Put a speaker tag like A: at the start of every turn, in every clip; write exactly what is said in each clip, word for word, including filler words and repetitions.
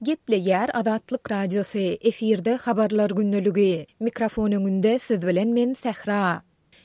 A: Gepleýär Azatlyk Radiosy, efirde Habarlar gündeligi. Mikrofon öňünde siz bilen men Sähra.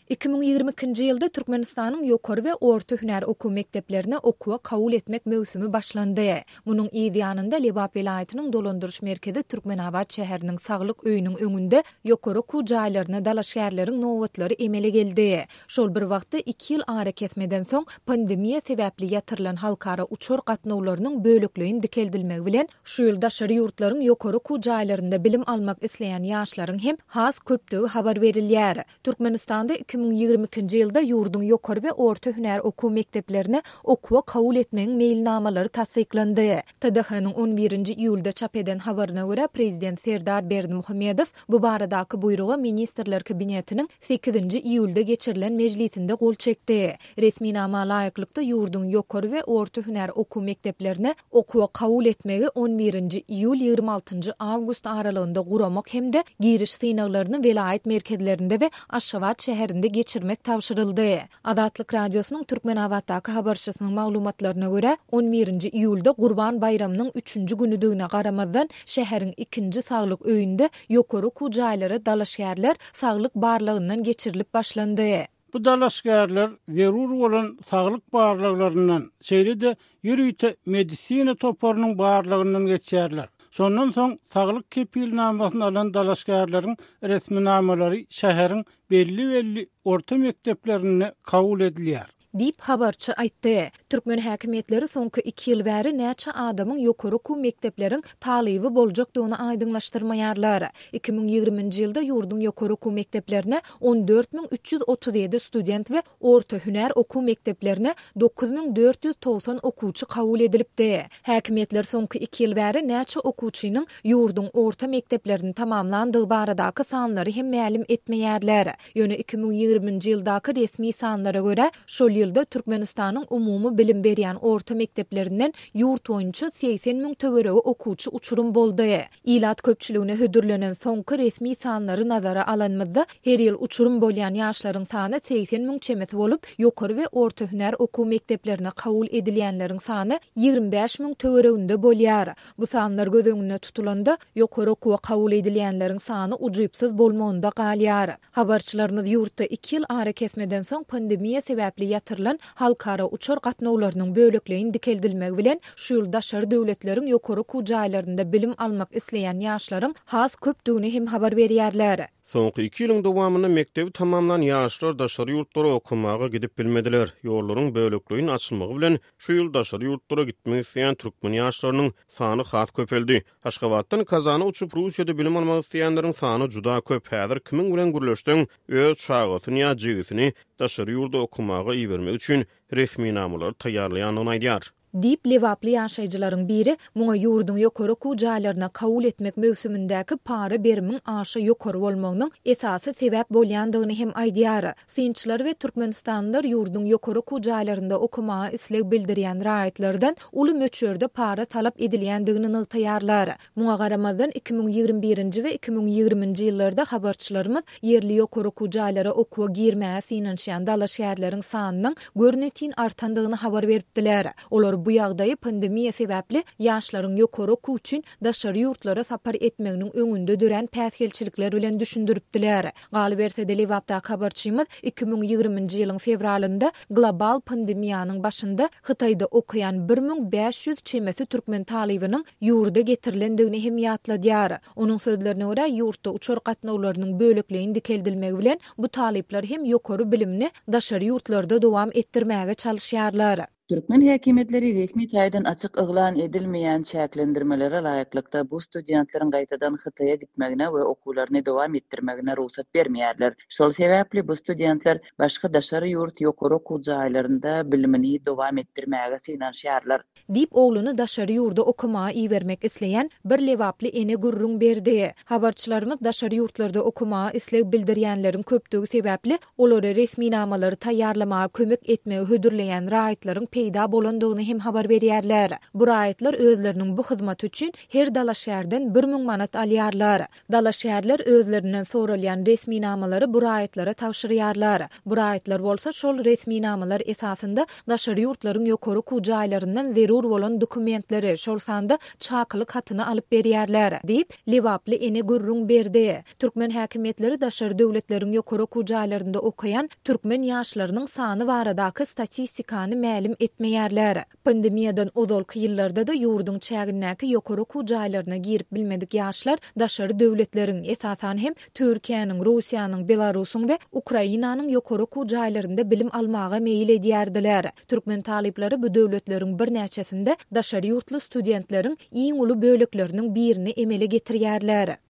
A: Iki müň ýigrimi ikinji ýylda Türkmenistanyň ýokary we orta hünär okuw mekdeplerine okuwa kabul etmek möwsümi başlandy. Munuň yz ýanynda Lebap welaýatynyň dolandyryş merkezi Türkmenabat şäheriniň saglyk öýüniň öňünde ýokary okuw jaýlaryna dalaşgärleriň nobatlary emele geldi. Şol bir wagtda iki ýyl arakesmeden soň pandemiýa sebäpli ýatyrylan halkara uçar gatnawlarynyň bölekleýin dikeldilmegi bilen şu ýyl daşary ýurtlaryň ýokary okuw jaýlarynda bilim almak isleýän ýaşlaryň hem has köpdügi habar berilýär. Türkmenistanda iki müň ýigrimi ikinji ýylda ýurduň ýokary we orta hünär okuw mekdeplerine okuwa kabul etmegiň meýilnamalary tassyklandy. T D H-nyň on birinji iýulda çap eden habaryna görä, Prezident Serdar Berdimuhamedow bu baradaky buýruga Ministrler Kabinetiniň sekizinji iýulda geçirilen mejlisinde gol çekdi. Resminama laýyklykda ýurduň ýokary we orta hünär okuw mekdeplerine okuwa kabul etmegi on birinji iýul ýigrimi altynjy awgust aralygynda guramak hem-de giriş synaglaryny welaýat merkezlerinde we Aşgabat şäherinde geçirmek tabşyryldy. Azatlyk Radiosynyň Türkmenabatdaky habarçysynyň maglumatlaryna görä, on birinji iýulda Gurban baýramynyň üçünji günüdigine garamazdan, şäheriň ikinji saglyk öýünde ýokary okuw jaýlara dalaşgärler saglyk barlagyndan geçirilip başlandy.
B: Bu dalaşgärler zerur bolan saglyk barlaglaryndan, şeýle-de ýörite medisina toparynyň barlagyndan geçýärler. Şondan soň saglyk kepilnamasyny alan dalaşgärleriň resminamalary şäheriň belli-belli orta mekdeplerinde kabul edilýär.
A: Diýip habarçy aýtdy. Türkmen häkimiýetleri soňky iki ýyl bäri näçe adamyň ýokary okuw mekdepleriň talyby boljakdygyny aýdyňlaşdyrmaýarlar. Iki müň ýigriminji ýylda ýurduň ýokary okuw mekdeplerine on dört müň üç ýüz otuz ýedi student we orta hünär okuw mekdeplerine dokuz müň dört ýüz togsan okuwçy kabul edilipdi. Häkimiýetler soňky iki ýyl bäri näçe okuwçynyň ýurduň orta mekdeplerini tamamlandygy baradaky sanlary hem mälim etmeýärler. Ýöne iki müň ýigriminji ýyldaky resmi sanlara görä, şol ýylda Türkmenistanyň umumy bilim berýän orta mekdeplerinden ýurt boýunça segsen müň töweregi okuwçy uçurum boldy. Ilat köpçüligine hödürlenen soňky resmi sanlary nazara alanymyzda, her ýyl uçurum bolýan ýaşlaryň sany segsen müň çemesi bolup, ýokary we orta hünär okuw mekdeplerine kabul edilýänleriň sany ýigrimi bäş müň töwereginde bolýar. Bu sanlar göz öňünde tutulanda, ýokary okuwa kabul edilýänleriň sany ujypsyz bolmagynda galýar. Habarçylarymyz ýurtda iki ýyl arakesmeden soň pandemiýa sebäpli ýatyrylan halkara uçar gatnawlarynyň bölekleýin dikeldilmegi bilen şu ýyl daşary döwletleriň ýokary okuw jaýlarynda bilim almak isleýän ýaşlaryň has köpdügini hem habar berýärler.
C: Soňky iki ýylyň dowamynda mekdebi tamamlan ýaşlar daşary ýurtlara okamaga gidip bilmediler. Ýollaryň bölekleýin açylmagy bilen şu ýyl daşary ýurtlara gitmek isleýän türkmen ýaşlarynyň sany has köpeldi. Aşgabatdan Kazana uçup Russiýada bilim almak isleýänleriň sany juda köp. Häzir kimin bilen gürleşseň, öz çagasyny ýa jigisini daşary ýurda okamaga ibermek üçin resminamalary taýýarlaýandygyny aýdýar.
A: Diýip Lebaply ýaşaýjylaryň biri muňa ýurduň ýokary okuw jaýlaryna kabul etmek möwsümindäki para berimiň aşa ýokary bolmagynyň esasy sebäp bolýandygyny hem aýdýar. Synçylar we Türkmenistanlylar ýurduň ýokary okuw jaýlarynda okamaga isleg bildirýän raýatlardan uly möçberde para talap edilýändigini nygtaýarlar. Muňa garamazdan iki müň ýigrimi birinji we iki müň ýigriminji ýyllarda habarçylarymyz ýerli ýokary okuw jaýlara okuwa girmäge synanyşýan dalaşgärleriň sanynyň görnetin artandygyny habar beripdiler. Olar bu ýagdaýy pandemiýa sebäpli ýaşlaryň ýokary okuw üçin daşary ýurtlara sapar etmeginiň öňünde dörän päsgelçilikler bilen düşündiripdiler. Galyberse-de Lebapdaky habarçymyz iki müň ýigriminji ýylyň fewralynda global pandemiýanyň başynda Hytaýda okaýan bir müň bäş ýüz çemesi türkmen talybynyň ýurda getirilendigini hem ýatladýar. Onuň sözlerine görä, ýurtda uçar gatnawlarynyň bölekleýin dikeldilmegi bilen bu talyplar hem ýokary bilimini daşary ýurtlarda dowam etdirmäge çalyşýarlar.
D: Türkmen häkimiýetleri resmi taýdan açyk yglan edilmeýän çäklendirmelere laýyklykda bu studentleriň gaýtadan Hytaýa gitmegine we okuwlaryny dowam etdirmegine rugsat bermeýärler. Şol sebäpli bu studentler başga daşary ýurt ýokary okuw jaýlarynda bilimini dowam etdirmäge synanyşýarlar.
A: Diýip ogluny daşary ýurda okamaga ibermek isleýän bir Lebaply ene gürrüň berdi. Habarçylarymyz daşary ýurtlarda okamaga isleg bildirýänleriň köpdügi sebäpli olary resminamalary taýýarlamaga kömek etmegi hödürleýän raýatlaryň peýda bolandygyny hem habar berýärler. Bu raýatlar özleriniň bu hyzmaty üçin her dalaşgärden bir müň manat alýarlar. Dalaşgärler özlerinden soralýan resminamalary bu raýatlara tabşyrýarlar. Bu raýatlar bolsa şol resminamalar esasynda daşary ýurtlaryň ýokary okuw jaýlaryndan zerur bolan dokumentleri, şol sanda çakylyk hatyny alyp berýärler, diýip, lebaply ene gürrüň berdi. Türkmen häkimiýetleri daşary döwletleriň ýokary okuw jaýlarynda okaýan türkmen ýaşlarynyň sany baradaky statistikany mälim etmeýärler. Pandemiýadan ozalky ýyllarda-da ýurduň çägindäki ýokary okuw jaýlaryna girip bilmedik ýaşlar daşary döwletleriň, esasan hem, Türkiýäniň, Russiýanyň, Belarusyň we Ukrainanyň ýokary okuw jaýlarynda bilim almaga meýil edýärdiler. Türkmen talyplary bu döwletleriň birnäçesinde daşary ýurtly studentleriň iň uly bölekleriniň birini emele getirýärler.